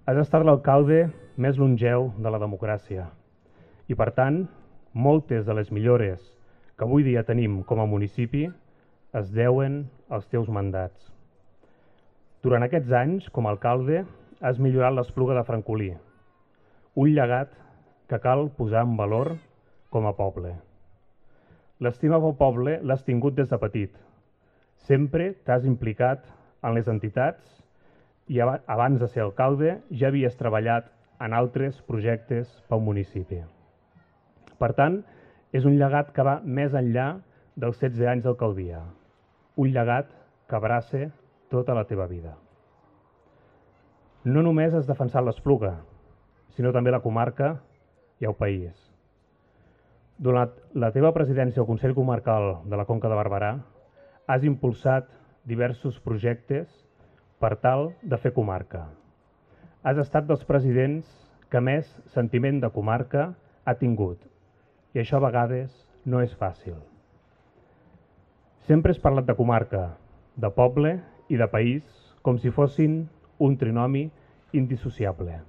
Has estat l'alcalde més longeu de la democràcia i, per tant, moltes de les millores que avui dia tenim com a municipi es deuen als teus mandats. Durant aquests anys, com a alcalde, has millorat l'Espluga de Francolí, un llegat que cal posar en valor com a poble. L'estima pel poble l'has tingut des de petit. Sempre t'has implicat en les entitats i abans de ser alcalde ja havies treballat en altres projectes pel municipi. Per tant, és un llegat que va més enllà dels 16 anys d'alcaldia. Un llegat que abraça tota la teva vida. No només has defensat l'Espluga, sinó també la comarca i el país. Durant la teva presidència al Consell Comarcal de la Conca de Barberà, has impulsat diversos projectes per tal de fer comarca. Has estat dels presidents que més sentiment de comarca ha tingut, i això a vegades no és fàcil. Sempre has parlat de comarca, de poble i de país com si fossin un trinomi indissociable.